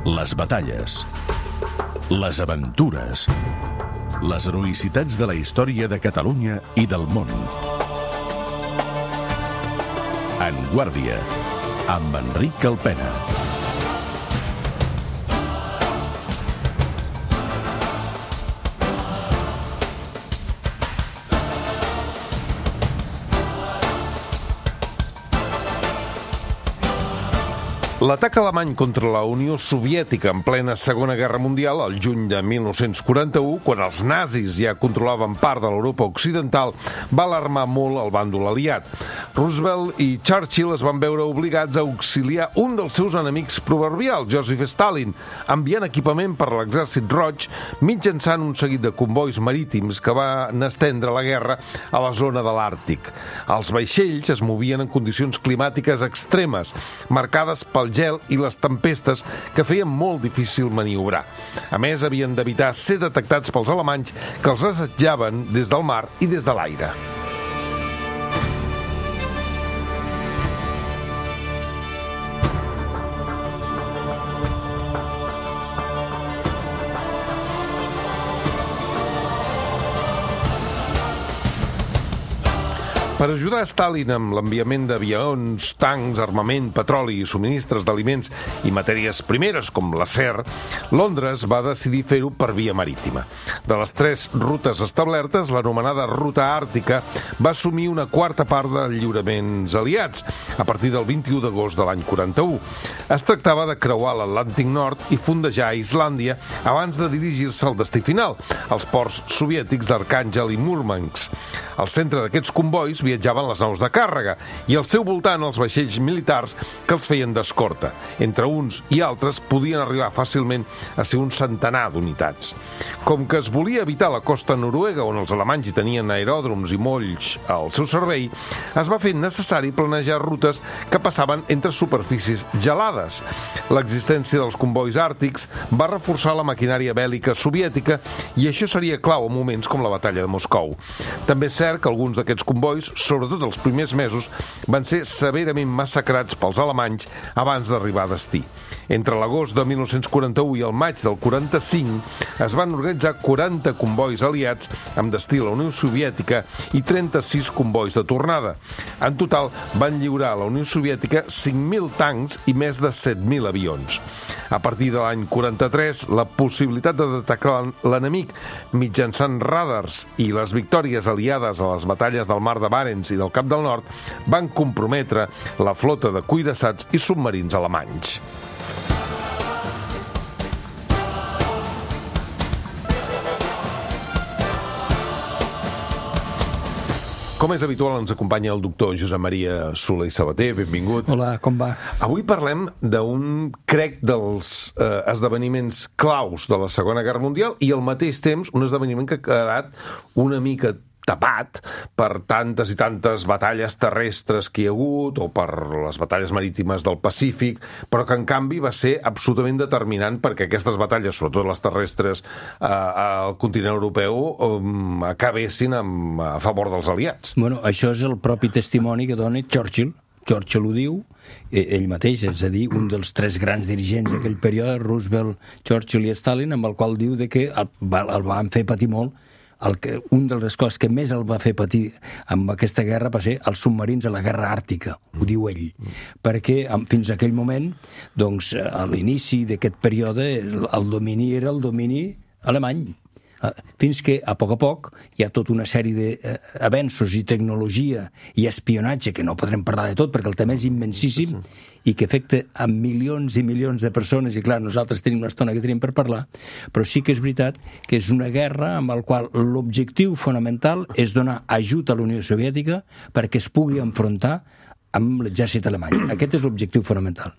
Les batalles, les aventures, les heroïcitats de la història de Catalunya i del món. En Guàrdia, amb Enric Calpena. L'atac alemany contra la Unió Soviètica en plena Segona Guerra Mundial, al juny de 1941, quan els nazis ja controlaven part de l'Europa occidental, va alarmar molt el bàndol aliat. Roosevelt i Churchill es van veure obligats a auxiliar un dels seus enemics proverbials, Joseph Stalin, enviant equipament per a l'Exèrcit Roig mitjançant un seguit de convois marítims que van estendre la guerra a la zona de l'Àrtic. Els vaixells es movien en condicions climàtiques extremes, marcades pel gel i les tempestes que feien molt difícil maniobrar. A més, havien d'evitar ser detectats pels alemanys que els assetjaven des del mar i des de l'aire. Per ajudar Stalin amb l'enviament d'avions, tancs, armament, petroli i subministres d'aliments i matèries primeres com l'acer, Londres va decidir fer-ho per via marítima. De les 3 rutes establertes, l'anomenada Ruta Àrtica va assumir una quarta part dels lliuraments aliats, a partir del 21 d'agost de l'any 41. Es tractava de creuar l'Atlàntic Nord i fondejar Islàndia abans de dirigir-se al destí final, als ports soviètics d'Arkhàngel i Múrmansk. Al centre d'aquests convois viatjaven les naus de càrrega i al seu voltant els vaixells militars que els feien d'escorta. Entre uns i altres podien arribar fàcilment a ser un centenar d'unitats. Com que es volia evitar la costa noruega, on els alemanys hi tenien aeròdroms i molls al seu servei, es va fer necessari planejar rutes que passaven entre superfícies gelades. L'existència dels convois àrtics va reforçar la maquinària bèl·lica soviètica i això seria clau en moments com la batalla de Moscou. També és cert que alguns d'aquests convois, sobretot els primers mesos, van ser severament massacrats pels alemanys abans d'arribar a destí. Entre l'agost de 1941 i el maig del 45 es van organitzar 40 convois aliats amb destí a la Unió Soviètica i 36 convois de tornada. En total van lliurar a la Unió Soviètica 5.000 tancs i més de 7.000 avions. A partir de l'any 43, la possibilitat de detectar l'enemic mitjançant radars i les victòries aliades a les batalles del Mar de Barents i del Cap del Nord van comprometre la flota de cuirassats i submarins alemanys. Com és habitual, ens acompanya el doctor Josep Maria Soler i Sabater. Benvingut. Hola, com va? Avui parlem d'un, crec, dels esdeveniments claus de la Segona Guerra Mundial i al mateix temps un esdeveniment que ha quedat una mica tapat per tantes i tantes batalles terrestres que hi ha hagut o per les batalles marítimes del Pacífic, però que en canvi va ser absolutament determinant perquè aquestes batalles, sobretot les terrestres al continent europeu, acabessin a favor dels aliats. Bueno, això és el propi testimoni que dona Churchill. Churchill ho diu, ell mateix, és a dir, un dels 3 grans dirigents d'aquell període, Roosevelt, Churchill i Stalin, amb el qual diu que el van fer patir molt. Un de les coses que més el va fer patir amb aquesta guerra va ser els submarins a la guerra àrtica, ho diu ell, perquè fins a aquell moment, doncs, a l'inici d'aquest període, el domini era el domini alemany, fins que a poc hi ha tota una sèrie d'avenços i tecnologia i espionatge, que no podrem parlar de tot perquè el tema és immensíssim i que afecta a milions i milions de persones, i clar, nosaltres tenim una estona que tenim per parlar, però sí que és veritat que és una guerra amb la qual l'objectiu fonamental és donar ajut a la Unió Soviètica perquè es pugui enfrontar amb l'exèrcit alemany. Aquest és l'objectiu fonamental.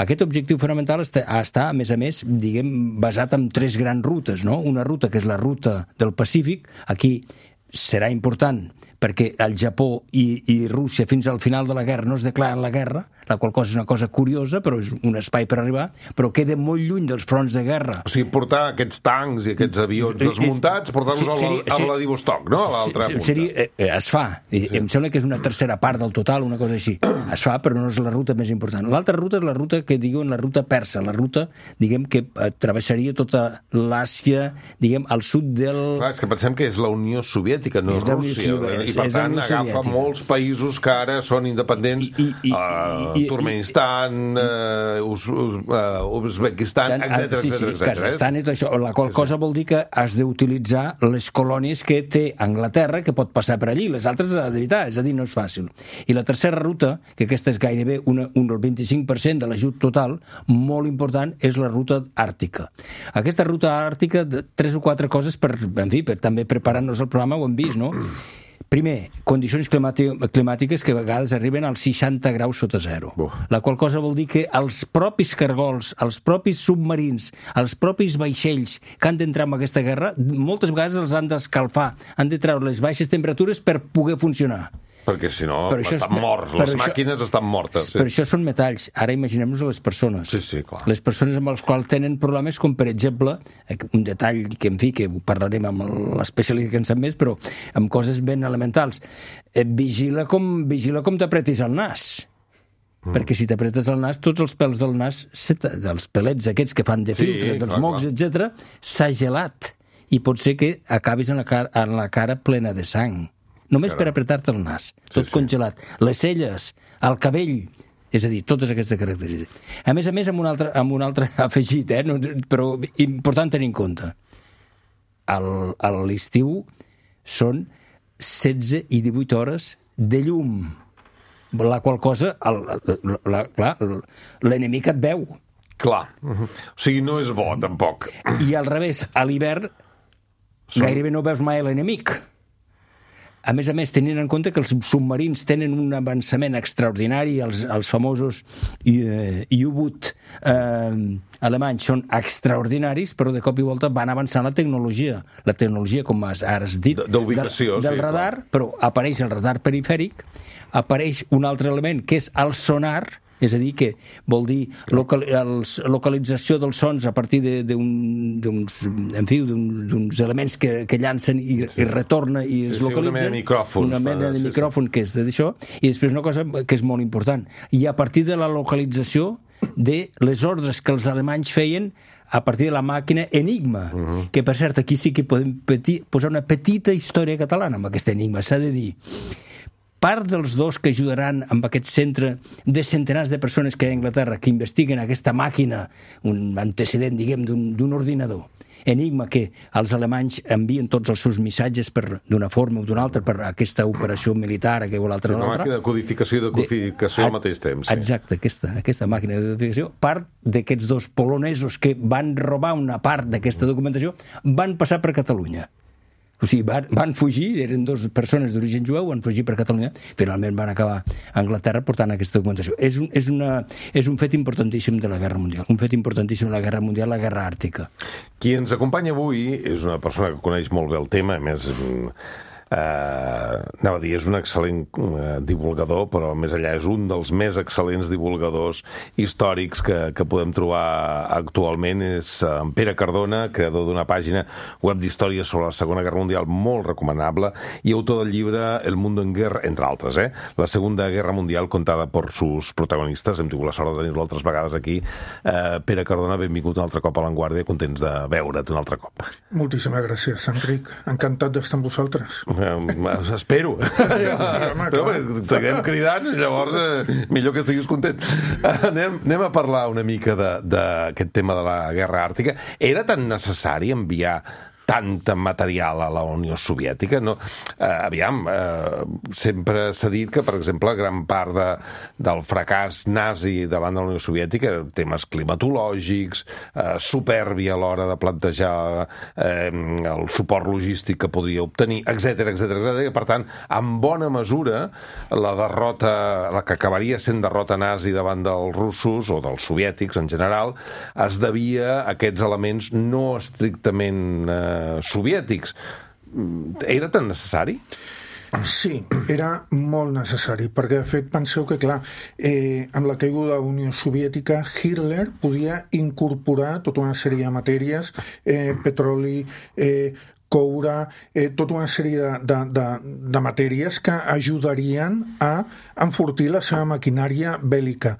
Aquest objectiu fonamental està, a més, basat en 3 grans rutes, no? Una ruta que és la ruta del Pacífic, aquí serà important perquè el Japó i Rússia fins al final de la guerra no es declaren la guerra, la qual cosa és una cosa curiosa, però és un espai per arribar, però queda molt lluny dels fronts de guerra. O sigui, portar aquests tancs i aquests avions desmuntats, portar-los a Vladivostok, no? A l'altra punta. Es fa. Em sembla que és una tercera part del total, una cosa així. Es fa, però no és la ruta més important. L'altra ruta és la ruta que diuen la ruta persa, la ruta, diguem, que travessaria tota l'Àsia, diguem, al sud del... Clar, és que pensem que és la Unió Soviètica, no és Rússia. I per tant agafa molts països que ara són independents, Turkmenistan, Uzbekistan, etc. Kazakhstan i tot això, la qual cosa vol dir que has d'utilitzar les colònies que té Anglaterra, que pot passar per allí, les altres has d'evitar, és a dir, no és fàcil. I la tercera ruta, que aquesta és gairebé un del 25% de l'ajut total, molt important, és la ruta àrtica. Aquesta ruta àrtica, 3 o 4 coses per també preparar-nos el programa, ho hem vist, no? Primer, condicions climàtiques que a vegades arriben als 60 graus sota zero. La qual cosa vol dir que els propis cargols, els propis submarins, els propis vaixells que han d'entrar en aquesta guerra, moltes vegades els han d'escalfar, han de treure les baixes temperatures per poder funcionar. Perquè si no estan morts, les màquines estan mortes. Per això són metalls. Ara imaginem-nos a les persones. Sí, clar. Les persones amb les quals tenen problemes, com per exemple, un detall que, en fi, que ho parlarem amb l'especialista que en sap més, però amb coses ben elementals. Vigila com t'apretis el nas. Perquè si t'apretes el nas, tots els pèls del nas, dels pelets aquests que fan de filtre, dels mocs, etc., s'ha gelat. I pot ser que acabis en la cara plena de sang. Només per apretar-te el nas, tot congelat. Les celles, el cabell, és a dir, totes aquestes característiques. A més, amb un altre afegit, però important tenir en compte. A l'estiu són 16 i 18 hores de llum, la qual cosa, l'enemic et veu. Clar. O sigui, no és bo, tampoc. I al revés, a l'hivern gairebé no veus mai l'enemic. A més, tenint en compte que els submarins tenen un avançament extraordinari, els famosos U-boot alemanys són extraordinaris, però de cop i volta van avançant la tecnologia, com ara has dit, del radar, però apareix el radar perifèric, apareix un altre element que és el sonar, és a dir, que vol dir localització dels sons a partir d'uns elements que llancen i retorna i es localitzen. Una mena de micròfon que és d'això. I després una cosa que és molt important. I a partir de la localització de les ordres que els alemanys feien a partir de la màquina Enigma, que per cert aquí sí que podem posar una petita història catalana amb aquest Enigma. S'ha de dir, part dels dos que ajudaran amb aquest centre de centenars de persones que hi ha a Anglaterra que investiguen aquesta màquina, un antecedent, diguem, d'un ordinador, Enigma, que els alemanys envien tots els seus missatges d'una forma o d'una altra per aquesta operació militar, una màquina de codificació i decodificació al mateix temps. Exacte, aquesta màquina de codificació, part d'aquests dos polonesos que van robar una part d'aquesta documentació, van passar per Catalunya. O sigui, van fugir, eren dues persones d'origen jueu, van fugir per Catalunya, finalment van acabar a Anglaterra portant aquesta documentació. És un fet importantíssim de la Guerra Mundial, un fet importantíssim de la Guerra Mundial, la Guerra Àrtica. Qui ens acompanya avui és una persona que coneix molt bé el tema, a més... anava a dir, és un excel·lent divulgador, però més enllà és un dels més excel·lents divulgadors històrics que podem trobar actualment. És en Pere Cardona, creador d'una pàgina web d'història sobre la Segona Guerra Mundial molt recomanable i autor del llibre El Mundo en Guerra, entre altres, la Segunda Guerra Mundial contada per sus protagonistes. Hem tingut la sort de tenir-lo altres vegades aquí. Pere Cardona, benvingut un altre cop a L'Enguàrdia, contents de veure't un altre cop. Moltíssimes gràcies, Enric. Encantat d'estar amb vosaltres. Espero. Però seguirem cridant, llavors millor que estiguis content. Anem a parlar una mica d'aquest tema de la Guerra Àrtica. Era tan necessari enviar tant material a la Unió Soviètica? No, sempre s'ha dit que, per exemple, gran part del fracàs nazi davant de la Unió Soviètica, temes climatològics, supèrbia a l'hora de plantejar el suport logístic que podria obtenir, etc. Per tant, en bona mesura, la derrota, la que acabaria sent derrota nazi davant dels russos, o dels soviètics en general, es devia a aquests elements no estrictament soviètics. Era tan necessari? Sí, era molt necessari, perquè de fet penseu que, clar, amb la caiguda de la Unió Soviètica, Hitler podia incorporar tota una sèrie de matèries, petroli, coure, tota una sèrie de matèries que ajudarien a enfortir la seva maquinària bèl·lica.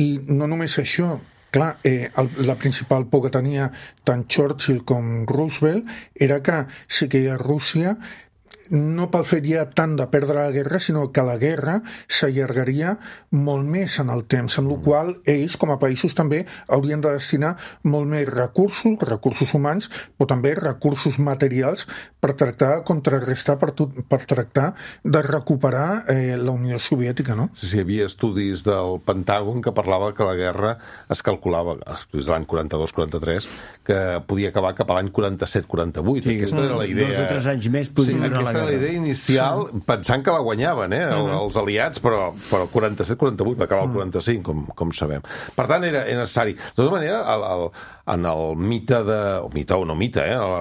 I no només això, clar, la principal por que tenia tant Churchill com Roosevelt era que si queia Rússia no pel fet ja tant de perdre la guerra, sinó que la guerra s'allargaria molt més en el temps, en el qual ells, com a països, també haurien de destinar molt més recursos humans, però també recursos materials per tractar de contrarrestar, per tractar de recuperar la Unió Soviètica, no? Sí, hi havia estudis del Pentàgon que parlava que la guerra es calculava, estudis de l'any 42-43, que podia acabar cap a l'any 47-48. Sí, aquesta era la idea. 2 o 3 anys més podria durar la guerra. La idea inicial, pensant que la guanyaven, els aliats, però 47-48, va acabar el 45, com sabem. Per tant, era necessari. De tota manera, en el mite la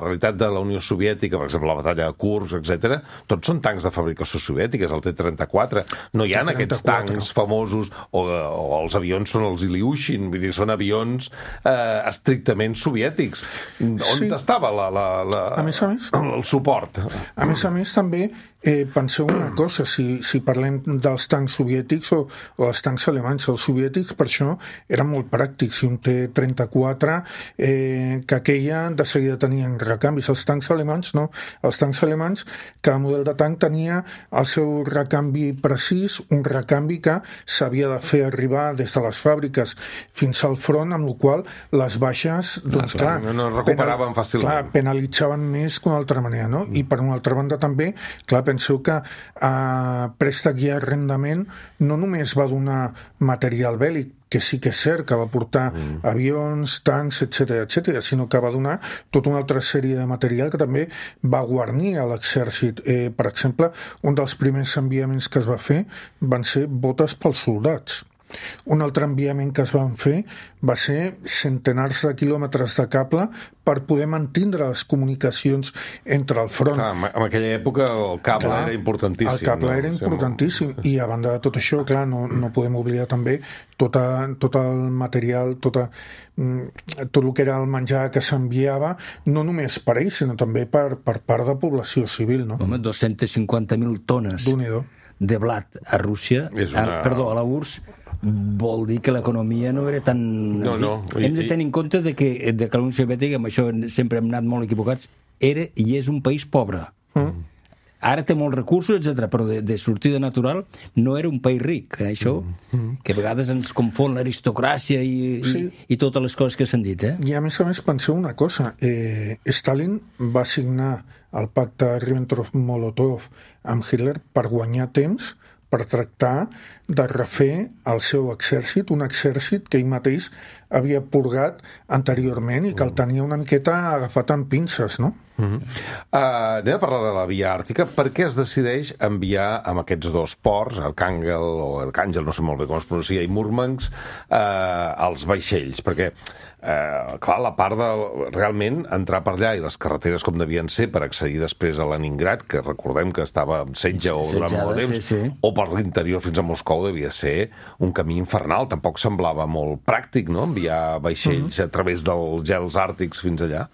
realitat de la Unió Soviètica, per exemple, la batalla de Kursk, etc., tots són tancs de fabricació soviètica, el T-34. No hi ha aquests tancs famosos, o els avions són els Ilyushin, vull dir, són avions estrictament soviètics. On estava el suport? A més, també penseu una cosa, si parlem dels tancs soviètics o dels tancs alemanys. Els soviètics, per això, eren molt pràctics. Si un T-34, que aquella de seguida tenien recanvis. Els tancs alemanys, no. Els tancs alemanys, cada model de tanc tenia el seu recanvi precís, un recanvi que s'havia de fer arribar des de les fàbriques fins al front, amb la qual les baixes, doncs clar, no recuperaven fàcilment. Clar, penalitzaven més que una altra manera, no? I per una altra banda també, clar, penseu que préstec i arrendament no només va donar material bèl·lic, que sí que és cert que va portar avions, tancs, etc., sinó que va donar tota una altra sèrie de material que també va guarnir a l'exèrcit. Per exemple, un dels primers enviaments que es va fer van ser botes pels soldats. Un altre enviament que es van fer va ser centenars de quilòmetres de cable per poder mantindre les comunicacions entre el front. Clar, en aquella època el cable era importantíssim. El cable era importantíssim. I a banda de tot això, clar, no podem oblidar també tot el material, tot el que era el menjar que s'enviava, no només per ells, sinó també per part de població civil, no? Home, 250.000 tones de blat a Rússia, perdó, a la URSS, vol dir que l'economia no era tan... No. Hem de tenir en compte de que la Unió Soviètica, amb això sempre hem anat molt equivocats, era i és un país pobre. Ara té molts recursos, etc., però de sortida natural no era un país ric. Això, que a vegades ens confon l'aristocràcia i totes les coses que s'han dit. I a més, penseu una cosa. Stalin va signar el pacte Ribbentrop-Molotov amb Hitler per guanyar temps, per tractar de refer el seu exèrcit, un exèrcit que ell mateix havia purgat anteriorment i que el tenia una miqueta agafat amb pinces, no? Anem a parlar de la Via Àrtica. Per què es decideix enviar amb aquests dos ports, Arcàngel, no sé molt bé com es pronuncia, i Múrmansk, els vaixells? Perquè, clar, la part de realment entrar per allà i les carreteres com devien ser per accedir després a Leningrad, que recordem que estava en setge o durant molt temps, o per l'interior fins a Moscou, devia ser un camí infernal. Tampoc semblava molt pràctic, no?, enviar vaixells a través dels gels àrtics fins allà.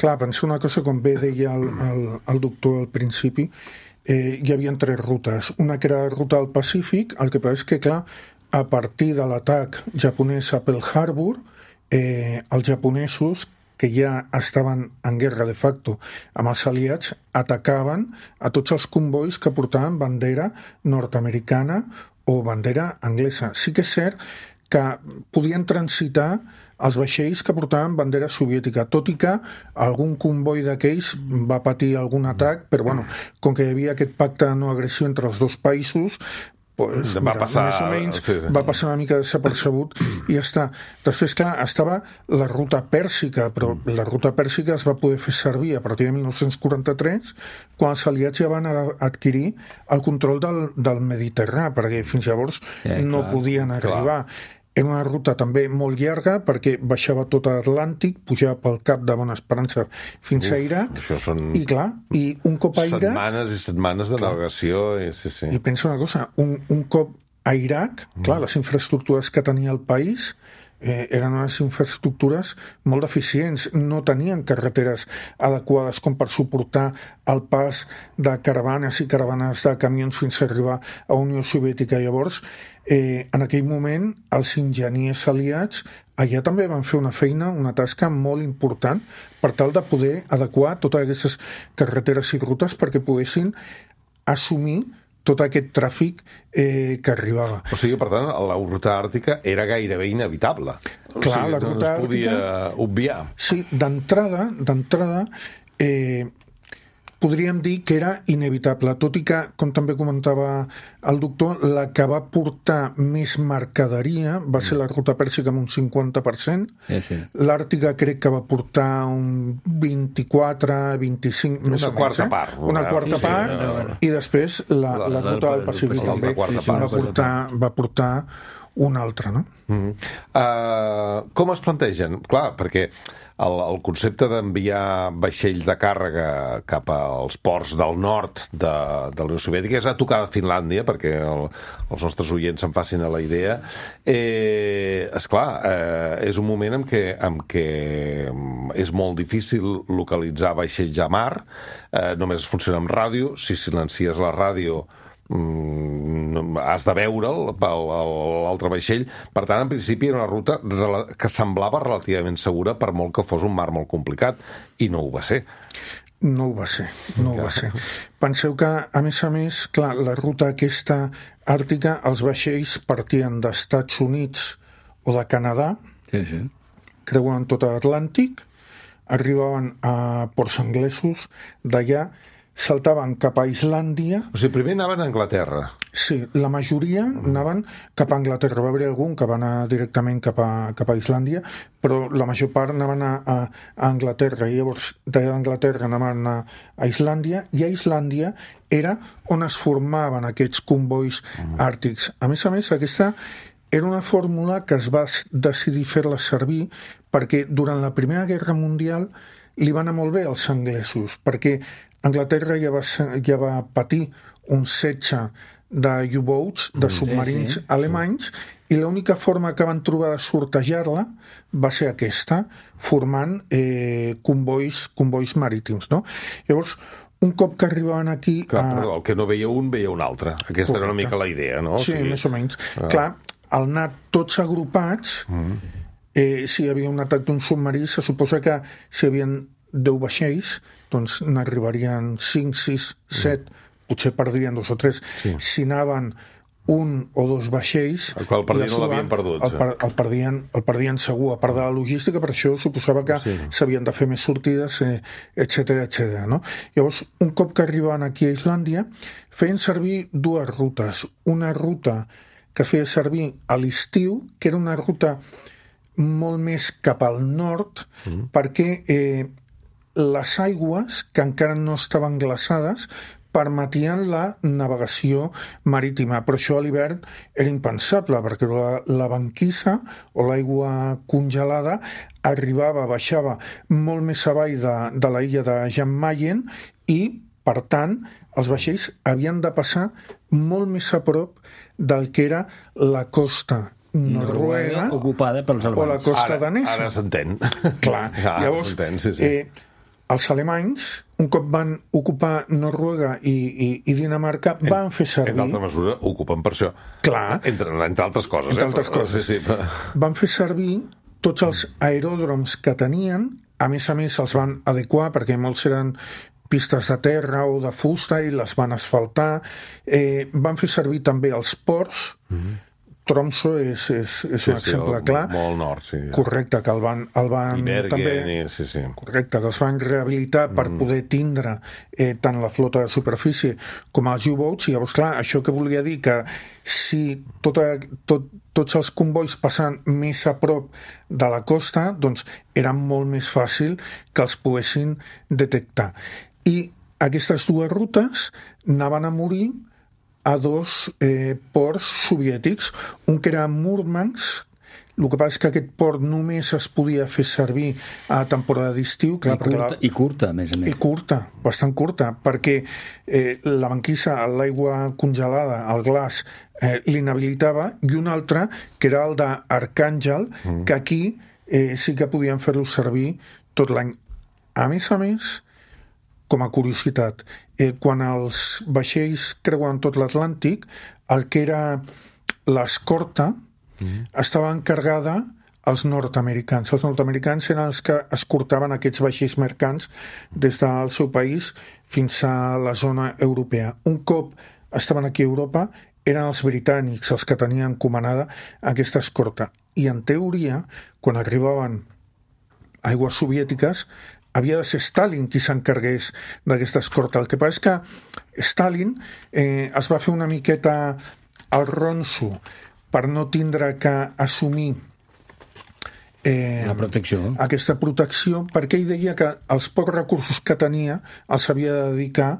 Clar, penso una cosa, com bé deia el doctor al principi, hi havia 3 rutes. Una que era la ruta del Pacífic, el que passa és que, clar, a partir de l'atac japonès a Pearl Harbor, els japonesos, que ja estaven en guerra de facto amb els aliats, atacaven a tots els convois que portaven bandera nord-americana o bandera anglesa. Sí que és cert que podien transitar els vaixells que portaven bandera soviètica, tot i que algun comboi d'aquells va patir algun atac, però bueno, com que hi havia aquest pacte de no agressió entre els dos països, pues, va passar, més o menys va passar una mica desapercebut i ja està. Després, clar, estava la ruta pèrsica, però la ruta pèrsica es va poder fer servir a partir de 1943, quan els aliats ja van adquirir el control del Mediterrani, perquè fins llavors no podien arribar. era una ruta també molt llarga perquè baixava tot l'Atlàntic, pujava pel Cap de Bona Esperança fins a Iraq, i clar, i un cop a Iraq... Setmanes i setmanes de navegació, sí. I pensa una cosa, un cop a Iraq, clar, les infraestructures que tenia el país eren unes infraestructures molt deficients, no tenien carreteres adequades com per suportar el pas de caravanes i caravanes de camions fins a arribar a Unió Soviètica. Llavors, en aquell moment, els enginyers aliats allà també van fer una feina, una tasca molt important per tal de poder adequar totes aquestes carreteres i rutes perquè poguessin assumir tot aquest tràfic que arribava. O sigui, per tant, la ruta àrtica era gairebé inevitable. Clar, la ruta àrtica... No es podia obviar. Sí, d'entrada, podríem dir que era inevitable, tot i que, com també comentava el doctor, la que va portar més mercaderia va ser la ruta pèrsica amb un 50%, sí. L'àrtica crec que va portar un 24, 25... Una quarta part. Una quarta part, i després la ruta del Pacífic també va portar una altra, no? Com es plantegen? Clar, perquè el concepte d'enviar vaixells de càrrega cap als ports del nord de la Unió Soviètica és a tocar de Finlàndia, perquè els nostres oients se'n facin a la idea. Esclar, és un moment en què és molt difícil localitzar vaixells a mar, només funciona amb ràdio, si silencies la ràdio has de veure'l l'altre vaixell. Per tant, en principi era una ruta que semblava relativament segura, per molt que fos un mar molt complicat, i no ho va ser. No ho va ser. Penseu que, a més, clar, la ruta aquesta àrtica, els vaixells partien d'Estats Units o de Canadà, creuen tot l'Atlàntic, arribaven a ports anglesos, d'allà saltaven cap a Islàndia... O sigui, primer anaven a Anglaterra. Sí, la majoria anaven cap a Anglaterra. Va haver algun que va anar directament cap a Islàndia, però la major part anaven a Anglaterra. I llavors, d'Anglaterra anaven a Islàndia, i a Islàndia era on es formaven aquests convois àrtics. A més, aquesta era una fórmula que es va decidir fer-la servir perquè durant la Primera Guerra Mundial li va anar molt bé als anglesos, perquè Anglaterra ja va patir un setge de U-boats, de submarins alemanys, i l'única forma que van trobar de sortejar-la va ser aquesta, formant convois marítims, no? Llavors, un cop que arribaven aquí... Clar, però el que no veia un, veia un altre. Aquesta era una mica la idea, no? Sí, més o menys. Clar, al anar tots agrupats, si hi havia un atac d'un submarí, se suposa que si hi havia 10 vaixells, doncs n'arribarien 5, 6, 7, potser perdrien 2 o 3. Sí. Si anaven 1 o 2 vaixells... El qual perdien no l'havien perdut. El perdien segur. A part de la logística, per això suposava que s'havien de fer més sortides, etc. No? Llavors, un cop que arribaven aquí a Islàndia, feien servir 2 rutes. Una ruta que es feia servir a l'estiu, que era una ruta molt més cap al nord, perquè les aigües, que encara no estaven glaçades, permetien la navegació marítima, però això a l'hivern era impensable, perquè la banquissa o l'aigua congelada baixava molt més avall de la illa de Jan Mayen, i, per tant, els vaixells havien de passar molt més a prop del que era la costa noruega ocupada pels alemanys. O la costa danesa. Ara s'entén. Clar. Llavors, els alemanys, un cop van ocupar Noruega i Dinamarca, van fer servir... En altra mesura, ocupen per això. Clar. Entre altres coses. Entre altres coses. Sí. Van fer servir tots els aeròdroms que tenien, a més els van adequar, perquè molts eren pistes de terra o de fusta, i les van asfaltar. Van fer servir també els ports. Tromsø és un exemple clar. Molt nord, sí. Correcte, que el van Bergen, també, correcte, que els van rehabilitar per poder tindre tant la flota de superfície com els U-boats. I llavors, clar, això que volia dir que si tots els convois passen més a prop de la costa, doncs era molt més fàcil que els poguessin detectar. I aquestes 2 rutes anaven a morir a 2 ports soviètics, un que era Murmansk El que passa és que aquest port només es podia fer servir a temporada d'estiu. I curta, a més a més. I curta, bastant curta, perquè la banquissa, l'aigua congelada, el glaç, l'inhabilitava, i un altre, que era el d'Arcàngel, que aquí sí que podien fer-lo servir tot l'any. A més, com a curiositat, quan els vaixells creuen tot l'Atlàntic, el que era l'escorta estava encarregada als nord-americans. Els nord-americans eren els que escortaven aquests vaixells mercants des del seu país fins a la zona europea. Un cop estaven aquí a Europa, eren els britànics els que tenien encomanada aquesta escorta. I en teoria, quan arribaven aigües soviètiques, havia de ser Stalin qui s'encarregués d'aquesta escorta. El que passa és que Stalin es va fer una miqueta al ronso per no tindre que assumir la protecció. Aquesta protecció, perquè ell deia que els pocs recursos que tenia els havia de dedicar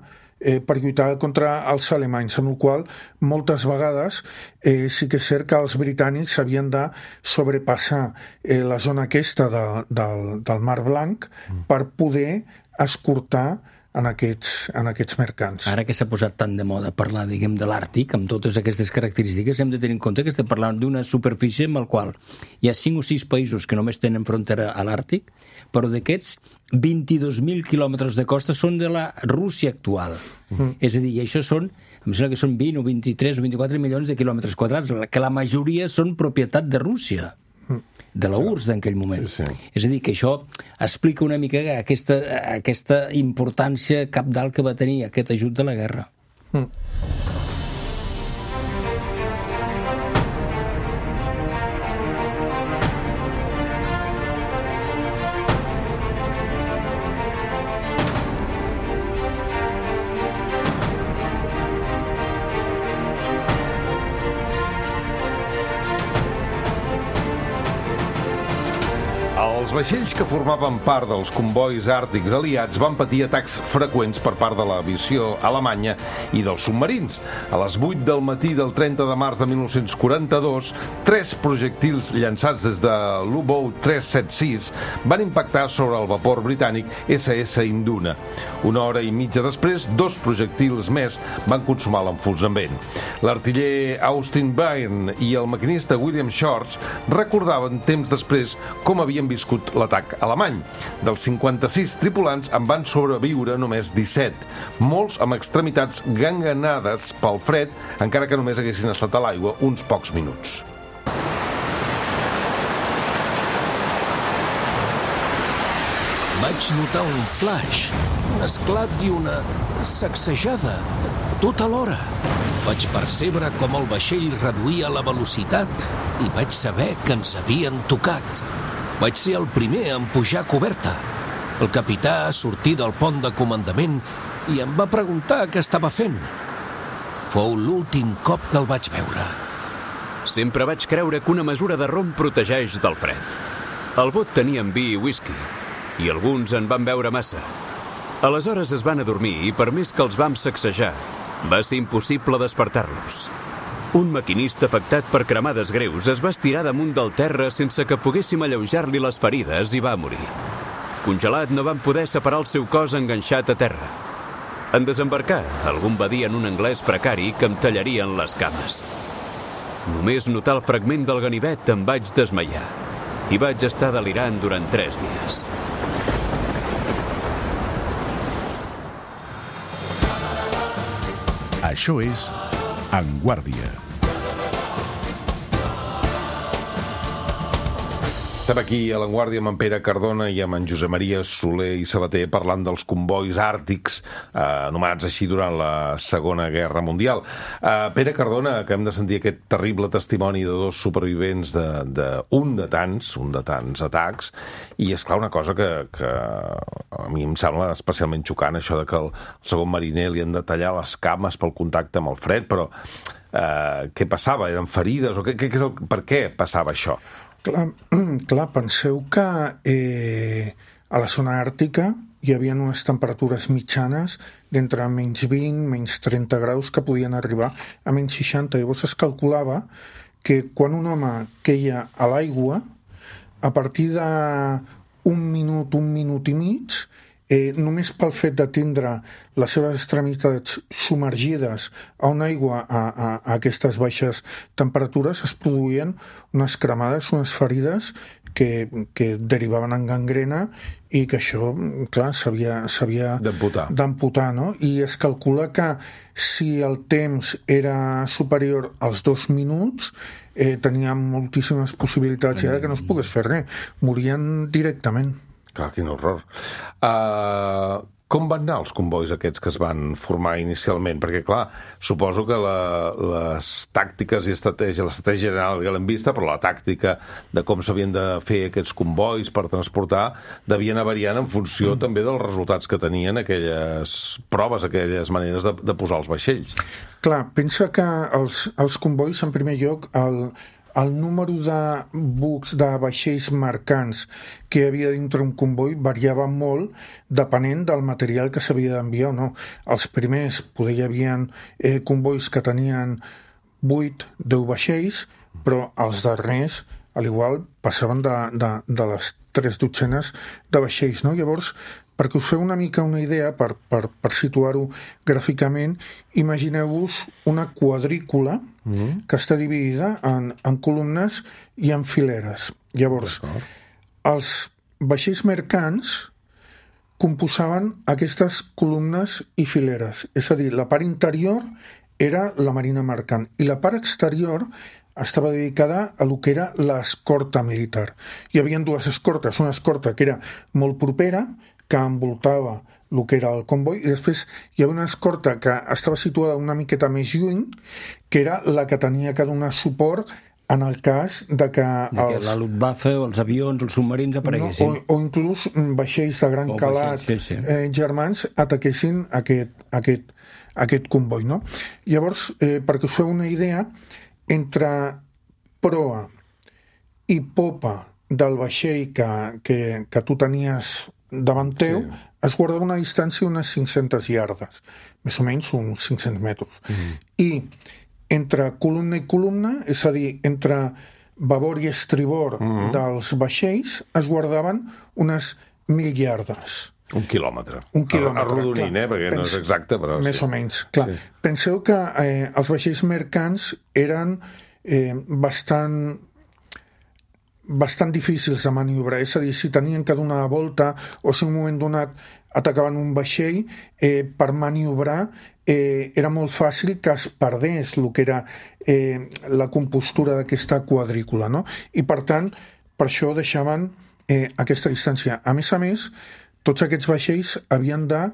per lluitar contra els alemanys, amb la qual moltes vegades sí que és cert que els britànics havien de sobrepassar la zona aquesta del Mar Blanc per poder escortar en aquests mercants. Ara que s'ha posat tan de moda parlar, diguem, de l'Àrtic, amb totes aquestes característiques, hem de tenir en compte que estem parlant d'una superfície amb la qual hi ha 5 o 6 països que només tenen frontera a l'Àrtic, però d'aquests 22.000 quilòmetres de costa són de la Rússia actual. És a dir, i això són, em sembla que són 20 o 23 o 24 milions de quilòmetres quadrats, que la majoria són propietat de Rússia, de la URSS en aquell moment. Sí. És a dir, que això explica una mica aquesta importància cabdal que va tenir aquest ajut de la guerra. Els vaixells que formaven part dels convois àrtics aliats van patir atacs freqüents per part de l'aviació alemanya i dels submarins. A les 8 del matí del 30 de març de 1942, 3 projectils llançats des de l'U-Boat 376 van impactar sobre el vapor britànic SS Induna. Una hora i mitja després, 2 projectils més van consumar l'enfonsament. L'artiller Austin Byrne i el maquinista William Shorts recordaven temps després com havien viscut l'atac alemany. Dels 56 tripulants en van sobreviure només 17, molts amb extremitats ganganades pel fred, encara que només haguessin estat a l'aigua uns pocs minuts. Vaig notar un flash, un esclat i una sacsejada, tot alhora. Vaig percebre com el vaixell reduïa la velocitat i vaig saber que ens havien tocat. Vaig ser el primer a pujar a coberta. El capità sortí del pont de comandament i em va preguntar què estava fent. Fou l'últim cop que el vaig veure. Sempre vaig creure que una mesura de rom protegeix del fred. El bot tenia vi i whisky, i alguns en van beure massa. Aleshores es van adormir i per més que els vam sacsejar, va ser impossible despertar-los. Un maquinista afectat per cremades greus es va estirar damunt del terra sense que poguéssim alleujar-li les ferides i va morir. Congelat, no van poder separar el seu cos enganxat a terra. En desembarcar, algú va dir en un anglès precari que em tallarien les cames. Només notar el fragment del ganivet em vaig desmaiar i vaig estar delirant durant 3 dies. Això és En Guàrdia. Estem aquí a La Guàrdia amb en Pere Cardona i amb en Josep Maria Soler i Sabater parlant dels convois àrtics anomenats així durant la Segona Guerra Mundial. Pere Cardona, acabem de sentir aquest terrible testimoni de 2 supervivents d'un de tants atacs, i és clar una cosa que a mi em sembla especialment xocant, això de que el segon mariner li han de tallar les cames pel contacte amb el fred, però què passava? Eren ferides? O per què passava això? Clar, penseu que a la zona àrtica hi havia unes temperatures mitjanes d'entre menys 20, menys 30 graus que podien arribar a menys 60. Llavors es calculava que quan un home queia a l'aigua, a partir d'un minut i mig, només pel fet de tindre les seves extremitats submergides a una aigua a aquestes baixes temperatures es produïen unes cremades, unes ferides que derivaven en gangrena i que això, clar, s'havia d'amputar, no? I es calcula que si el temps era superior als 2 minuts tenien moltíssimes possibilitats ja que no es pogués fer res, morien directament. Clar, quin horror. Com van anar els convois aquests que es van formar inicialment? Perquè, clar, suposo que les tàctiques i l'estratègia general ja l'hem vista, però la tàctica de com s'havien de fer aquests convois per transportar devia anar variant en funció també dels resultats que tenien aquelles proves, aquelles maneres de posar els vaixells. Clar, pensa que els convois, en primer lloc, el número de bucs, de vaixells mercants que hi havia dintre un comboi variava molt depenent del material que s'havia d'enviar o no. Els primers poder hi havia convois que tenien 8-10 vaixells, però els darrers, a l'igual, passaven de les 3 dotzenes de vaixells, no? Llavors, perquè us feu una mica una idea, per situar-ho gràficament, imagineu-vos una quadrícula que està dividida en columnes i en fileres. Llavors, els vaixells mercants composaven aquestes columnes i fileres. És a dir, la part interior era la marina mercant i la part exterior estava dedicada a lo que era l'escorta militar. Hi havia 2 escortes, una escorta que era molt propera, que envoltava el que era el comboi, i després hi havia una escorta que estava situada una miqueta més lluny, que era la que tenia que donar suport en el cas de que la Luftwaffe o els avions, els submarins apareguessin. O inclús vaixells de gran calat germans ataquessin aquest comboi, no? Llavors, perquè us feu una idea, entre proa i popa del vaixell que tu tenies davant teu, es guardava una distància d'unes 500 iardes, més o menys uns 500 metres. I entre columna i columna, és a dir, entre babord i estribord dels vaixells, es guardaven unes 1.000 iardes. Un quilòmetre. Arrodonint, perquè no és exacte, però més o menys, clar. Sí. Penseu que els vaixells mercants eren bastant difícils de maniobrar, és a dir, si tenien que donar la volta o si en un moment donat atacaven un vaixell, per maniobrar era molt fàcil que es perdés el que era la compostura d'aquesta quadrícula, no? I per tant, per això deixaven aquesta distància. A més, tots aquests vaixells havien de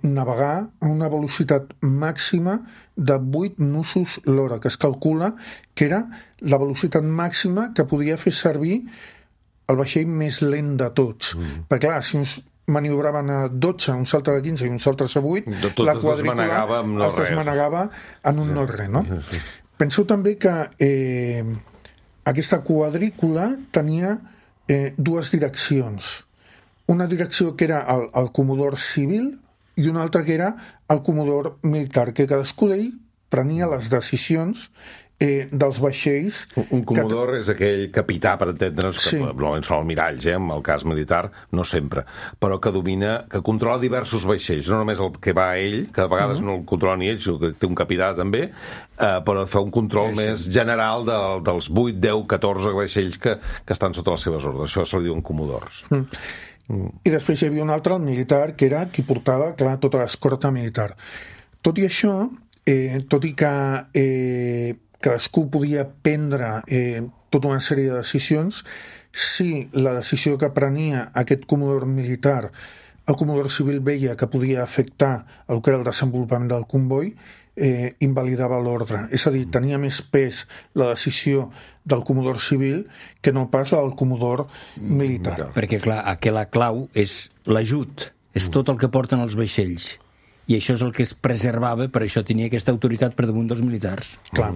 navegar a una velocitat màxima de 8 nusos l'hora, que es calcula que era la velocitat màxima que podia fer servir el vaixell més lent de tots. Perquè clar, si uns maniobraven a 12, uns altres a 15 i uns altres a 8, la quadrícula es desmanegava en un no-res, no? Penseu també que aquesta quadrícula tenia 2 direccions. Una direcció que era el comodor civil i una altra que era el comodor militar, que cadascú d'ell prenia les decisions dels vaixells. Un comodor és aquell capità, per entendre'ns, que normalment són almiralls, en el cas militar, no sempre, però que domina, que controla diversos vaixells, no només el que va a ell, que a vegades no el controla ni ell, sinó que té un capità també, però fa un control més general dels 8, 10, 14 vaixells que estan sota les seves ordres. Això se li diuen comodors. I després hi havia un altre, el militar, que era qui portava, clar, tota l'escorta militar. Tot i això, tot i que cadascú podia prendre tota una sèrie de decisions, si la decisió que prenia aquest comodor militar, el comodor civil veia que podia afectar el que era el desenvolupament del comboi, invalidava l'ordre. És a dir, tenia més pes la decisió del comodor civil que no pas la del comodor militar. Perquè, clar, la clau és l'ajut, és tot el que porten els vaixells. I això és el que es preservava, per això tenia aquesta autoritat per damunt dels militars. Clar.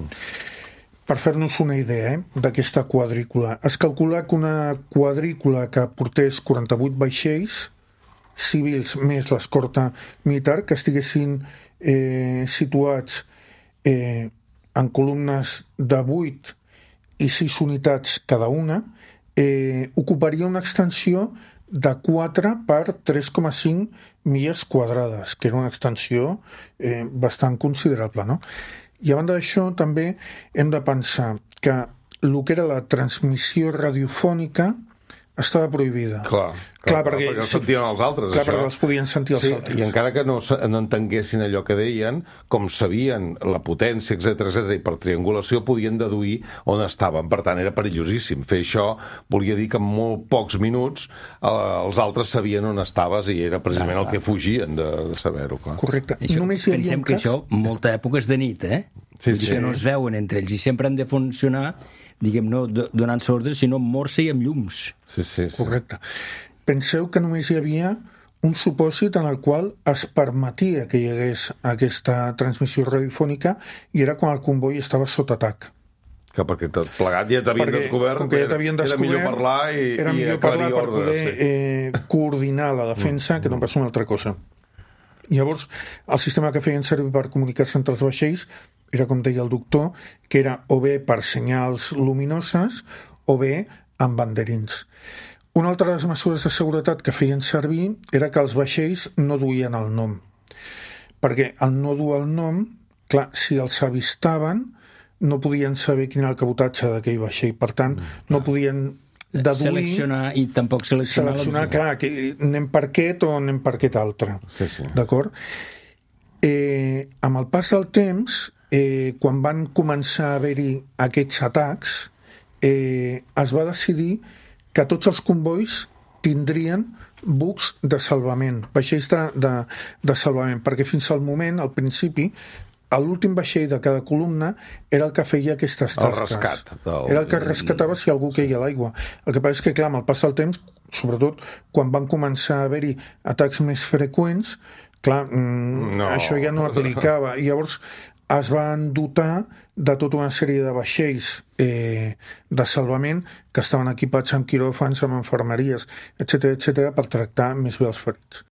Per fer-nos una idea d'aquesta quadrícula, es calcula que una quadrícula que portés 48 vaixells civils més l'escorta militar que estiguessin situats en columnes de 8 i 6 unitats cada una, ocuparia una extensió de 4 per 3,5 milles quadrades, que era una extensió bastant considerable, no? I a banda d'això, també hem de pensar que el que era la transmissió radiofònica estava prohibida. Clar, perquè els sentien els altres, clar, això. perquè els podien sentir els altres. I encara que no entenguessin allò que deien, com sabien la potència, etc, i per triangulació podien deduir on estaven. Per tant, era perillosíssim. Fer això volia dir que en molt pocs minuts els altres sabien on estaves i era precisament el que fugien de saber-ho. Correcte. Pensem que això, molta època és de nit, Sí. Que no es veuen entre ells i sempre han de funcionar, diguem, no donant-se ordres, sinó amb morse i amb llums. Sí. Correcte. Penseu que només hi havia un supòsit en el qual es permetia que hi hagués aquesta transmissió radiofònica i era quan el comboi estava sota atac. Que perquè tot plegat ja t'havien descobert, era millor parlar i aclarir per ordres. Poder coordinar la defensa, que no passa una altra cosa. Llavors, el sistema que feien servir per comunicar-se entre els vaixells era, com deia el doctor, que era o bé per senyals luminoses o bé amb banderins. Una altra de les mesures de seguretat que feien servir era que els vaixells no duien el nom. Perquè al no dur el nom, clar, si els avistaven, no podien saber quin era el cabotatge d'aquell vaixell. Per tant, no podien deduir... Seleccionar i tampoc seleccionar clar, que anem per aquest o anem per aquest altre. Sí. D'acord? Amb el pas del temps, quan van començar a haver-hi aquests atacs, es va decidir que tots els convois tindrien bucs de salvament, vaixells de salvament, perquè fins al moment, al principi, l'últim vaixell de cada columna era el que feia aquestes tasques. El rescat. Era el que rescatava si algú queia a l'aigua. El que passa és que, clar, amb el pas del temps, sobretot quan van començar a haver-hi atacs més freqüents, clar, això ja no aplicava. I llavors es van dotar de tota una sèrie de vaixells de salvament que estaven equipats amb quiròfans, amb infermeries, etc per tractar més bé els ferits.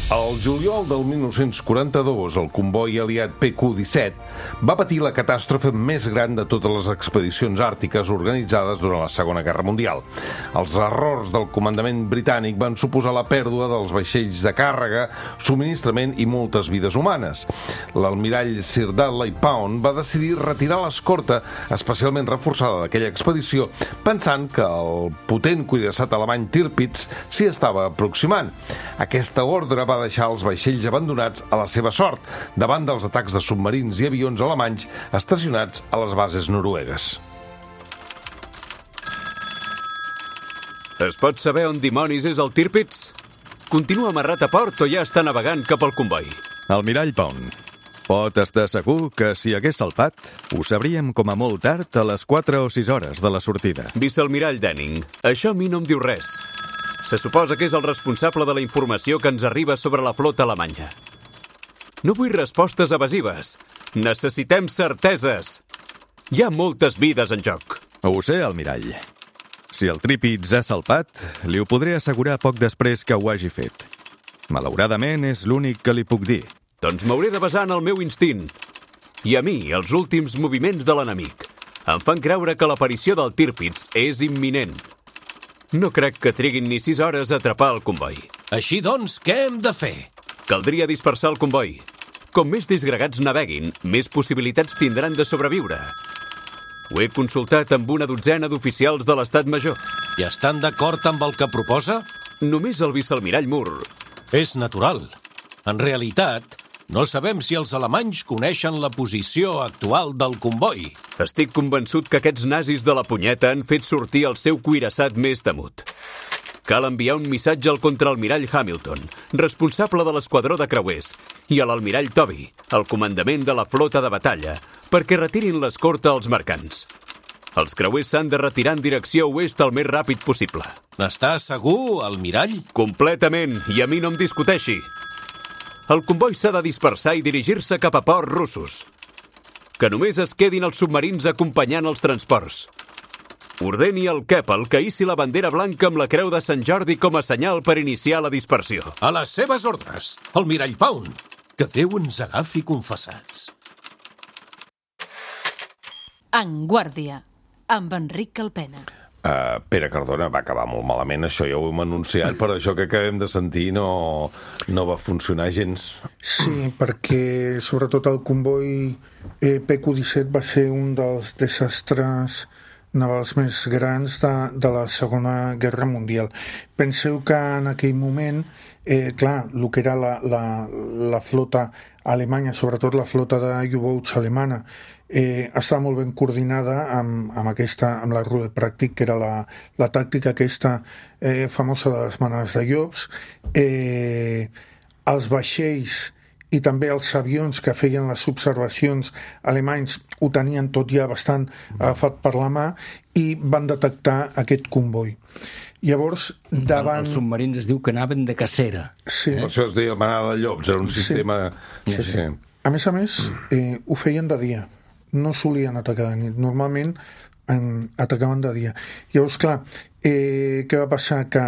Al juliol del 1942, el comboi aliat PQ-17 va patir la catàstrofe més gran de totes les expedicions àrtiques organitzades durant la Segona Guerra Mundial. Els errors del comandament britànic van suposar la pèrdua dels vaixells de càrrega, subministrament i moltes vides humanes. L'almirall Sir Dudley Pound va decidir retirar l'escorta especialment reforçada d'aquella expedició, pensant que el potent cuirassat alemany Tirpitz s'hi estava aproximant. Aquesta ordre va deixar els vaixells abandonats a la seva sort davant dels atacs de submarins i avions alemanys estacionats a les bases noruegues. Es pot saber on dimonis és el Tirpitz? Continua amarrat a port o ja està navegant cap al comboi? Almirall Pound, pot estar segur que si hagués salpat, ho sabríem com a molt tard a les 4 o 6 hores de la sortida. Vicealmirall Denning, això a mi no em diu res. Se suposa que és el responsable de la informació que ens arriba sobre la flota alemanya. No vull respostes evasives. Necessitem certeses. Hi ha moltes vides en joc. Ho sé, almirall. Si el Tirpitz ha salpat, li ho podré assegurar poc després que ho hagi fet. Malauradament, és l'únic que li puc dir. Doncs m'hauré de basar en el meu instint. I a mi, els últims moviments de l'enemic em fan creure que l'aparició del Tirpitz és imminent. No crec que triguin ni 6 hores a atrapar el comboi. Així doncs, què hem de fer? Caldria dispersar el comboi. Com més disgregats naveguin, més possibilitats tindran de sobreviure. Ho he consultat amb una dotzena d'oficials de l'Estat Major. I estan d'acord amb el que proposa? Només el vicealmirall Moore. És natural. En realitat, no sabem si els alemanys coneixen la posició actual del comboi. Estic convençut que aquests nazis de la punyeta han fet sortir el seu cuirassat més temut. Cal enviar un missatge al contraalmirall Hamilton, responsable de l'esquadró de creuers, i a l'almirall Toby, el comandament de la flota de batalla, perquè retirin l'escorta als mercants. Els creuers s'han de retirar en direcció oest el més ràpid possible. N'està segur, almirall? Completament, i a mi no em discuteixi. El comboi s'ha de dispersar i dirigir-se cap a ports russos. Que només es quedin els submarins acompanyant els transports. Ordeni al Keppel que hissi la bandera blanca amb la creu de Sant Jordi com a senyal per iniciar la dispersió. A les seves ordres, almirall Pound. Que Déu ens agafi confessats. En Guàrdia, amb Enric Calpena. Pere Cardona, va acabar molt malament, això ja ho hem anunciat, però això que acabem de sentir no va funcionar gens. Sí, perquè sobretot el comboi PQ-17 va ser un dels desastres navals més grans de la Segona Guerra Mundial. Penseu que en aquell moment, clar, el que era la flota alemanya, sobretot la flota de U-boats alemana, estava molt ben coordinada amb la Rude Pràctic, que era la tàctica aquesta famosa de les manades de llops. Els vaixells i també els avions que feien les observacions alemanys ho tenien tot ja bastant agafat per la mà i van detectar aquest comboi. Llavors, davant... Els submarins es diu que anaven de cacera. Sí. Això es deia manada de llops, era un sistema... Sí. A més, ho feien de dia. No solien atacar de nit. Normalment atacaven de dia. Llavors, clar, què va passar? Que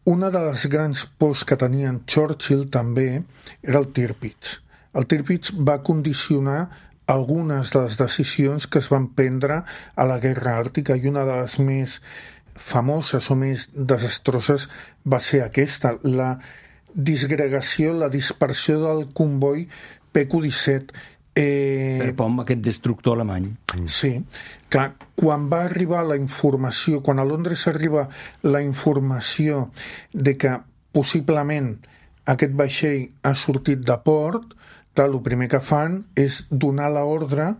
una de les grans pors que tenien Churchill també era el Tirpitz. El Tirpitz va condicionar algunes de les decisions que es van prendre a la Guerra Àrtica, i una de les més famoses o més desastroses va ser aquesta, la disgregació, la dispersió del comboi PQ-17. Per amb aquest destructor alemany. Sí, clar, quan va arribar la informació, quan a Londres arriba la informació de que possiblement aquest vaixell ha sortit de port, clar, el primer que fan és donar l'ordre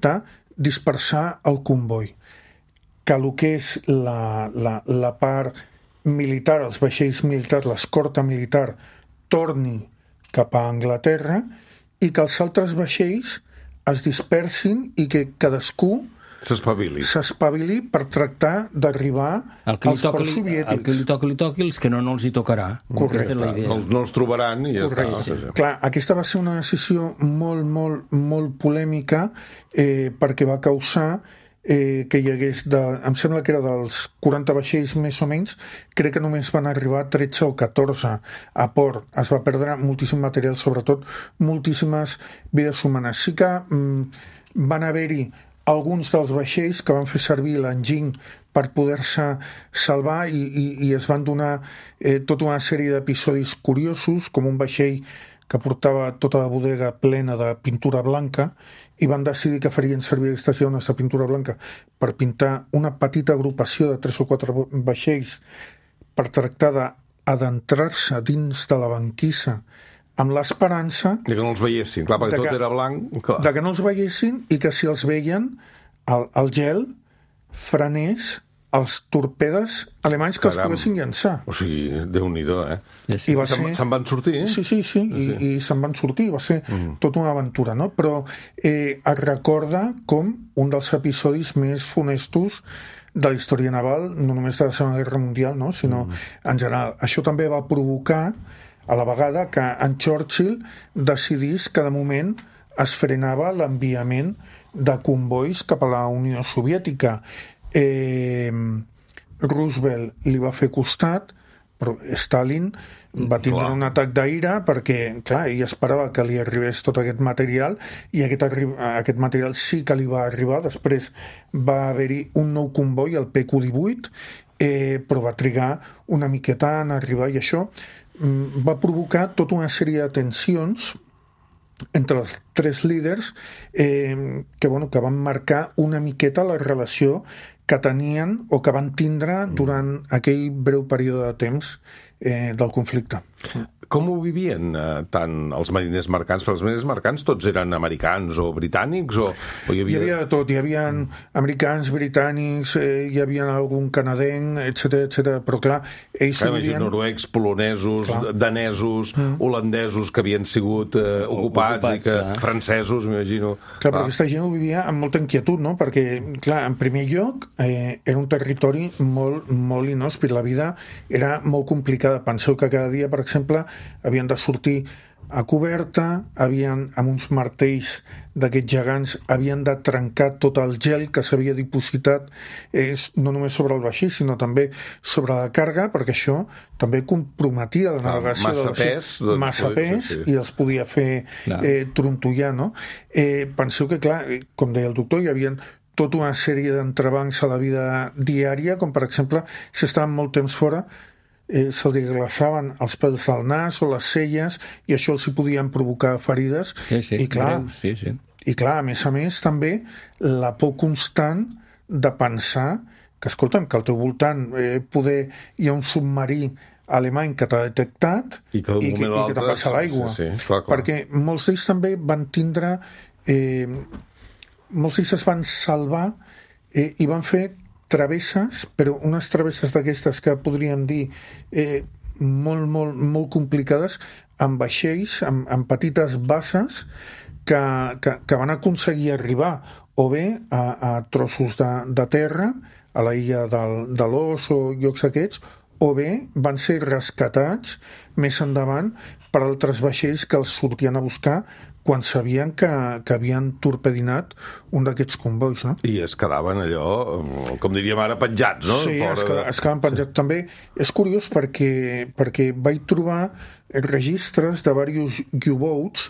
de dispersar el comboi. Que el que és la part militar, els vaixells militars, l'escorta militar, torni cap a Anglaterra, i que els altres vaixells es dispersin i que cadascú s'espavili per tractar d'arribar als ports soviètics. El que li toqui, els que no els hi tocarà. Correcte. No els trobaran i ja està. Sí. Clar, aquesta va ser una decisió molt, molt, molt polèmica perquè va causar que hi hagués, em sembla que era dels 40 vaixells més o menys, crec que només van arribar 13 o 14 a port. Es va perdre moltíssim material, sobretot moltíssimes vides humanes. Sí que van haver-hi alguns dels vaixells que van fer servir l'enginy per poder-se salvar i es van donar tota una sèrie d'episodis curiosos, com un vaixell que portava tota la bodega plena de pintura blanca, i van decidir que farien servir aquestes llaunes de pintura blanca per pintar una petita agrupació de 3 o 4 vaixells per tractar d'adentrar-se dins de la banquissa amb l'esperança... De que no els veiessin, clar, perquè tot era blanc. Clar. De que no els veiessin i que si els veien, el gel frenés els torpedes alemanys que els poguessin llançar. O sigui, Déu-n'hi-do, I se'n van sortir, Sí. I se'n van sortir, va ser tota una aventura, no? Però es recorda com un dels episodis més funestos de la història naval, no només de la Segona Guerra Mundial, no? Sinó en general. Això també va provocar, a la vegada, que en Churchill decidís que de moment es frenava l'enviament de convois cap a la Unió Soviètica. Roosevelt li va fer costat, però Stalin va tindre un atac d'ira perquè, clar, ell esperava que li arribés tot aquest material i aquest material sí que li va arribar. Després va haver-hi un nou comboi, el PQ-18, però va trigar una miqueta en arribar, i això va provocar tota una sèrie de tensions entre els tres líders que van marcar una miqueta la relació que tenien o que van tindre durant aquell breu període de temps del conflicte. Com ho vivien tant els mariners mercants? Perquè els mariners mercants tots eren americans o britànics? Hi havia de tot. Hi havia americans, britànics, hi havia algun canadenc, etc. Però clar, ells ho vivien... Noruecs, polonesos, danesos, holandesos que havien sigut ocupats i que francesos, m'imagino. Clar, però aquesta gent ho vivia amb molta inquietud, no? Perquè, clar, en primer lloc, era un territori molt, molt inhòspit. La vida era molt complicada. Penseu que cada dia, per exemple, havien de sortir a coberta, amb uns martells d'aquests gegants, havien de trencar tot el gel que s'havia dipositat no només sobre el vaixell, sinó també sobre la càrrega, perquè això també comprometia la navegació massa pes, massa pes, i els podia fer trontollar, no? Penseu que, clar, com deia el doctor, hi havia tota una sèrie d'entrebancs a la vida diària, com per exemple, si estaven molt temps fora, se'ls glaçaven els pèls del nas o les celles, i això els hi podien provocar ferides. I clar, i clar, a més, també la por constant de pensar que, escolta'm, que al teu voltant hi ha un submarí alemany que t'ha detectat i que t'ha passat l'aigua. Clar. Perquè molts d'ells també van tindre... molts d'ells es van salvar i van fer travesses, però unes travesses d'aquestes que podríem dir molt complicades, amb vaixells, amb petites basses que van aconseguir arribar o bé a trossos de terra, a la illa de l'Os o llocs aquests, o bé van ser rescatats més endavant per altres vaixells que els sortien a buscar quan sabien que havien torpedinat un d'aquests convois, no? I es quedaven allò, com diríem ara, penjats, no? Sí, es quedaven penjats. També és curiós perquè vaig trobar registres de diversos U-boats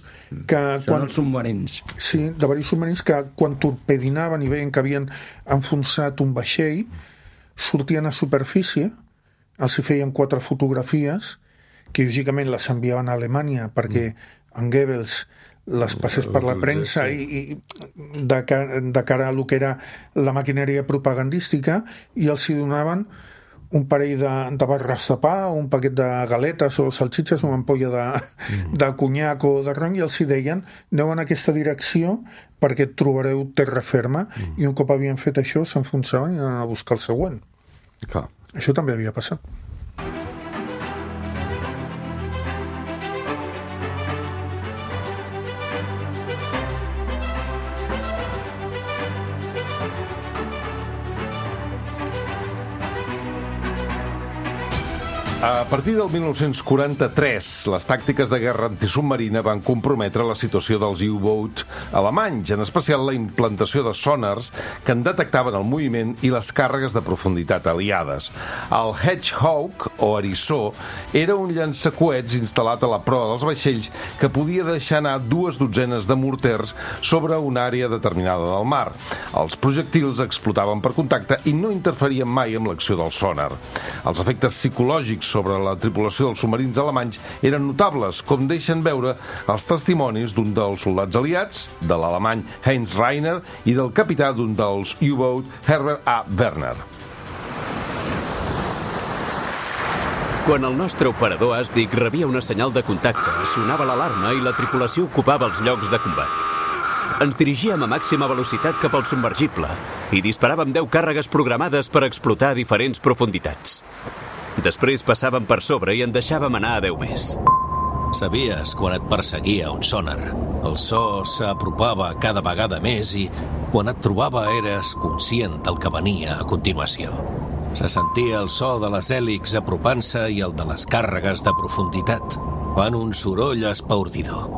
que... Són els submarins. Sí, de diversos submarins que quan torpedinaven i veien que havien enfonsat un vaixell, sortien a superfície, els hi feien 4 fotografies, que lògicament les enviaven a Alemanya perquè en Goebbels les passés per la premsa i de cara a lo que era la maquinària propagandística, i els hi donaven un parell de barres de pa, un paquet de galetes o salsitxes, una ampolla de conyac o de rom, i els hi deien: aneu en aquesta direcció perquè trobareu terra ferma. I un cop havien fet això s'enfonsaven i anaven a buscar el següent. Clar. Això també havia passat. A partir del 1943, les tàctiques de guerra antisubmarina van comprometre la situació dels U-boat alemanys, en especial la implantació de sonars que en detectaven el moviment i les càrregues de profunditat aliades. El Hedgehog, o eriçó, era un llançacoets instal·lat a la proa dels vaixells que podia deixar anar 2 dotzenes de morters sobre una àrea determinada del mar. Els projectils explotaven per contacte i no interferien mai amb l'acció del sonar. Els efectes psicològics sobre la tripulació dels submarins alemanys eren notables, com deixen veure els testimonis d'un dels soldats aliats, de l'alemany Heinz Rainer, i del capità d'un dels U-boat, Herbert A. Werner. Quan el nostre operador àstic rebia una senyal de contacte, sonava l'alarma i la tripulació ocupava els llocs de combat. Ens dirigíem a màxima velocitat cap al submergible i disparàvem 10 càrregues programades per explotar a diferents profunditats. Després passàvem per sobre i en deixàvem anar a 10 més. Sabies quan et perseguia un sonar. El so s'apropava cada vegada més i quan et trobava eres conscient del que venia a continuació. Se sentia el so de les hèlixs apropant-se i el de les càrregues de profunditat. Fan un soroll espaordidor.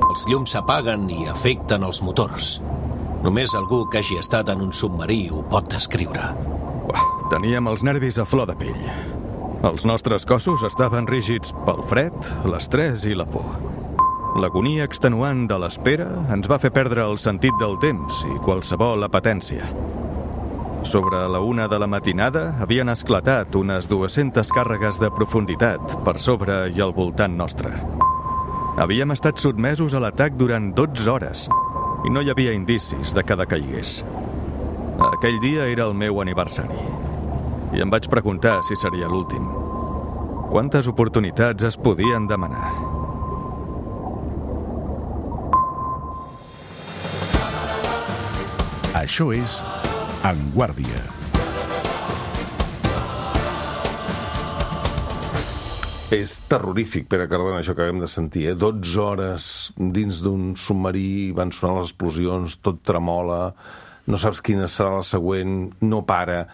Els llums s'apaguen i afecten els motors. Només algú que hagi estat en un submarí ho pot descriure. Teníem els nervis a flor de pell. Els nostres cossos estaven rígids pel fred, l'estrès i la por. L'agonia extenuant de l'espera ens va fer perdre el sentit del temps i qualsevol apetència. Sobre la 1 de la matinada havien esclatat unes 200 càrregues de profunditat per sobre i al voltant nostre. Havíem estat sotmesos a l'atac durant 12 hores i no hi havia indicis de que decaigués. Aquell dia era el meu aniversari i em vaig preguntar si seria l'últim. Quantes oportunitats es podien demanar? Això és En Guàrdia. És terrorífic, Pere Cardona, això que acabem de sentir, 12 hores dins d'un submarí, van sonar les explosions, tot tremola, no saps quina serà la següent, no para,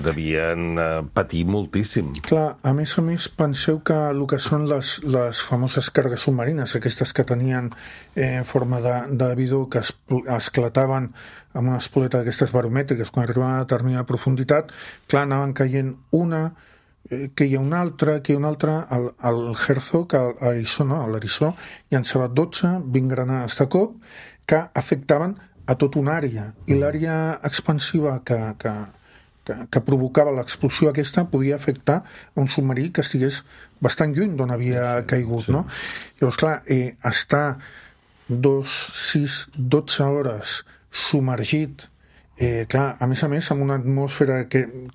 devien patir moltíssim. Clar, a més, penseu que el que són les famoses cargues submarines, aquestes que tenien forma de bidó, que esclataven amb una espoleta d'aquestes baromètriques quan arribaven a determinada profunditat, clar, anaven caient una, que hi ha una altra, el Herzog, l'Arizó, llançava 20 granades de cop que afectaven a tota una àrea, i l'àrea expansiva que provocava l'explosió aquesta podia afectar a un submarí que estigués bastant lluny d'on havia caigut, no? Llavors, clar, estar 12 hores submergit, clar, a més, amb una atmosfera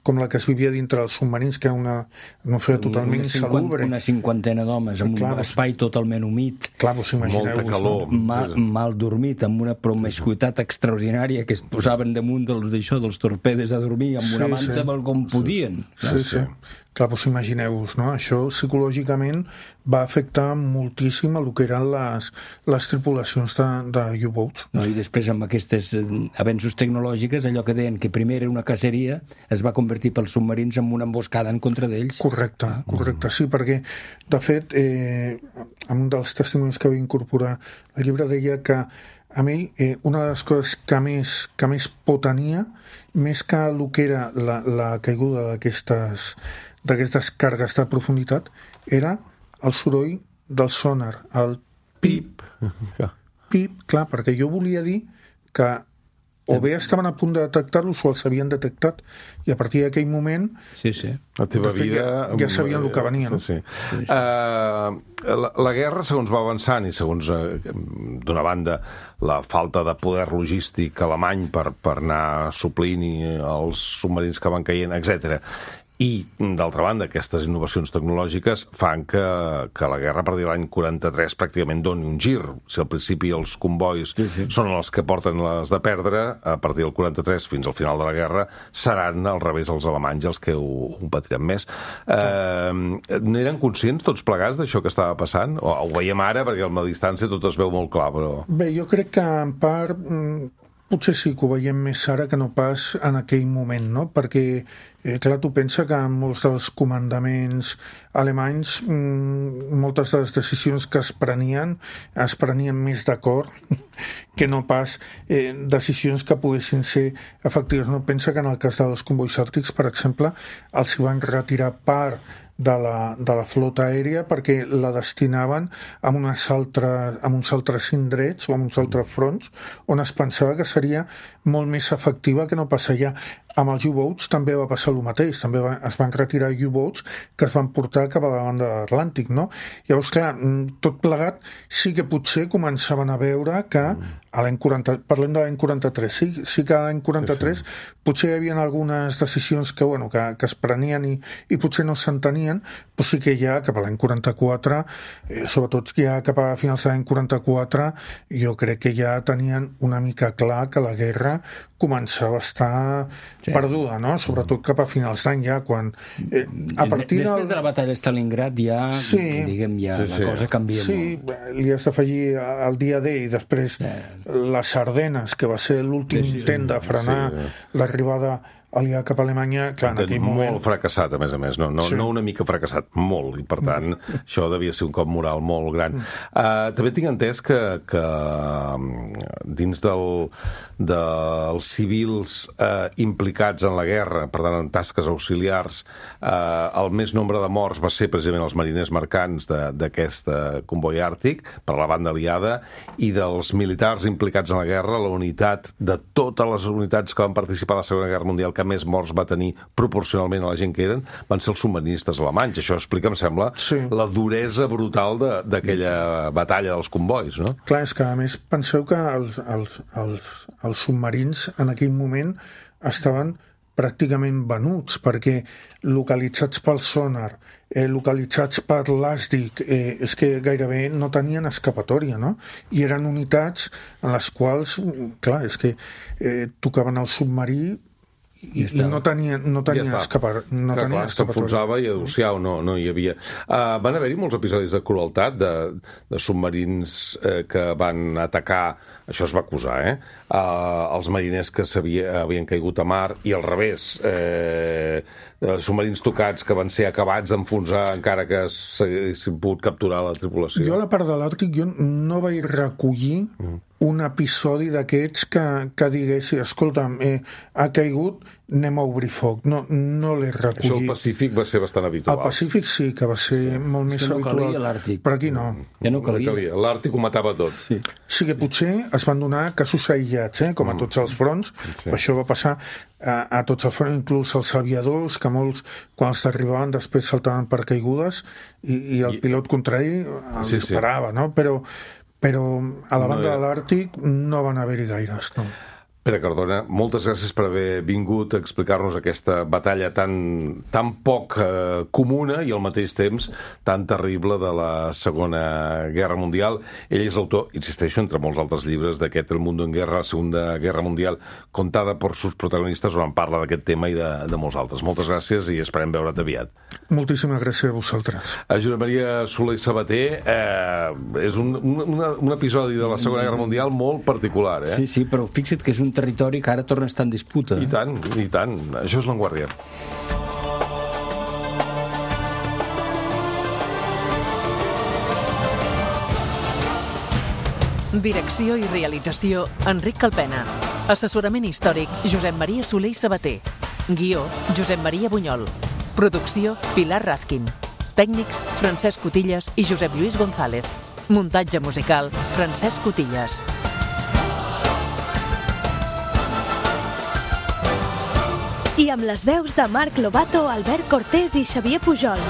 com la que es vivia dintre dels submarins, que era una atmosfera totalment insalubre. Una cinquantena d'homes, amb un espai totalment humit. Clar, vos imagineu. Molta calor. Mal dormit, amb una promiscuitat extraordinària, que es posaven damunt dels torpedes a dormir, amb una manta com podien. Sí. Clar, vos imagineu-vos, no? Això psicològicament va afectar moltíssim el que eren les tripulacions de U-boats. I després, amb aquests avenços tecnològics, allò que deien que primer era una caceria es va convertir pels submarins en una emboscada en contra d'ells. Correcte, sí, perquè, de fet, en un dels testimonis que va incorporar el llibre deia que a mi, una de les coses que més por tenia, més que el que era la caiguda d'aquestes cargues de profunditat, era el soroll del sonar, el pip, clar, perquè jo volia dir que o bé estaven a punt de detectar-los o els havien detectat, i a partir d'aquell moment la teva vida ja sabien el que venia, no? La guerra, segons va avançant i segons, d'una banda, la falta de poder logístic alemany per anar suplint els submarins que van caient, etc. I, d'altra banda, aquestes innovacions tecnològiques fan que la guerra, a partir de l'any 43, pràcticament doni un gir. Si al principi els convois són els que porten les de perdre, a partir del 43 fins al final de la guerra seran al revés els alemanys els que ho patiran més. N'eren conscients tots plegats d'això que estava passant? O ho veiem ara, perquè a la distància tot es veu molt clar, però... Bé, jo crec que en part... Potser sí que ho veiem més ara que no pas en aquell moment, no? Perquè, clar, tu pensa que en molts dels comandaments alemanys moltes de les decisions que es prenien més d'acord que no pas decisions que poguessin ser efectives. No? Pensa que en el cas dels convois àrtics, per exemple, els van retirar part de la flota aèria perquè la destinaven a uns altres indrets o a uns altres fronts on es pensava que seria molt més efectiva que no passar allà. Amb els U-boats també va passar el mateix, també es van retirar U-boats que es van portar cap a la banda de l'Atlàntic, no? Llavors, clar, tot plegat sí que potser començaven a veure que a l'any 40, parlem de l'any 43, sí que a l'any 43 potser hi havia algunes decisions que es prenien i potser no s'entenien, però sí que ja cap a l'any 44, sobretot ja cap a finals de l'any 44, jo crec que ja tenien una mica clar que la guerra començava a estar perduda, no? Sobretot cap a finals d'any ja, quan a partir després de la batalla de Stalingrad ja, diguem, ja la cosa canvia molt. Sí, li has d'afegir el dia D i després les Ardenes, que va ser l'últim intent de frenar l'arribada aliada cap a Alemanya, clar, en aquell moment... Molt fracassat, a més, no una mica fracassat, molt, i per tant això devia ser un cop moral molt gran. També tinc entès que dins dels civils implicats en la guerra, per tant en tasques auxiliars, el més nombre de morts va ser precisament els mariners mercants d'aquest comboi àrtic per la banda aliada, i dels militars implicats en la guerra, la unitat de totes les unitats que van participar a la Segona Guerra Mundial que més morts va tenir proporcionalment a la gent que eren, van ser els submarinistes alemanys. Això explica, em sembla, la duresa brutal d'aquella batalla dels convois, no? Clar, és que a més penseu que els submarins en aquell moment estaven pràcticament venuts, perquè localitzats pel sonar, localitzats per l'ASDIC, és que gairebé no tenien escapatòria, no? I eren unitats en les quals, clar, és que tocaven el submarí i no tenia escapatòria. S'enfonsava i adociau, no hi havia. Van haver-hi molts episodis de crueltat de submarins que van atacar, això es va acusar, els mariners que havien caigut a mar, i al revés, submarins tocats que van ser acabats d'enfonsar encara que s'haguessin pogut capturar la tripulació. Jo a la part de l'Àrtic jo no vaig recollir un episodi d'aquests que diguessi, escolta'm, ha caigut, anem a obrir foc. No l'he recollit. Això al Pacífic va ser bastant habitual. Al Pacífic sí, que va ser molt més habitual. No calia l'Àrtic. Però aquí no. Ja no calia. L'Àrtic ho matava tot. Sí que potser es van donar casos aïllats, com a tots els fronts. Això va passar a tots els fronts, inclús els aviadors, que molts, quan els arribaven, després saltaven per caigudes i el pilot contrari els disparava, no? Però a la banda de l'Àrtic no van haver-hi gaires, no. Pere Cardona, moltes gràcies per haver vingut a explicar-nos aquesta batalla tan poc comuna i al mateix temps tan terrible de la Segona Guerra Mundial. Ell és l'autor, insisteixo, entre molts altres llibres d'aquest El mundo en guerra, la Segunda Guerra Mundial, contada per sus protagonistes, on parla d'aquest tema i de molts altres. Moltes gràcies i esperem veure't aviat. Moltíssimes gràcies a vosaltres. A Josep Maria Soler i Sabater, és un episodi de la Segona Guerra Mundial molt particular, Sí, però fixa't que és un territori que ara torna a estar en disputa. I tant. Això és L'Avantguàrdia. Direcció i realització, Enric Calpena. Assessorament històric, Josep Maria Soler i Sabater. Guió, Josep Maria Bunyol. Producció, Pilar Razkin. Tècnics, Francesc Cotillas i Josep Lluís González. Muntatge musical, Francesc Cotillas. I amb les veus de Marc Lobato, Albert Cortés i Xavier Pujol.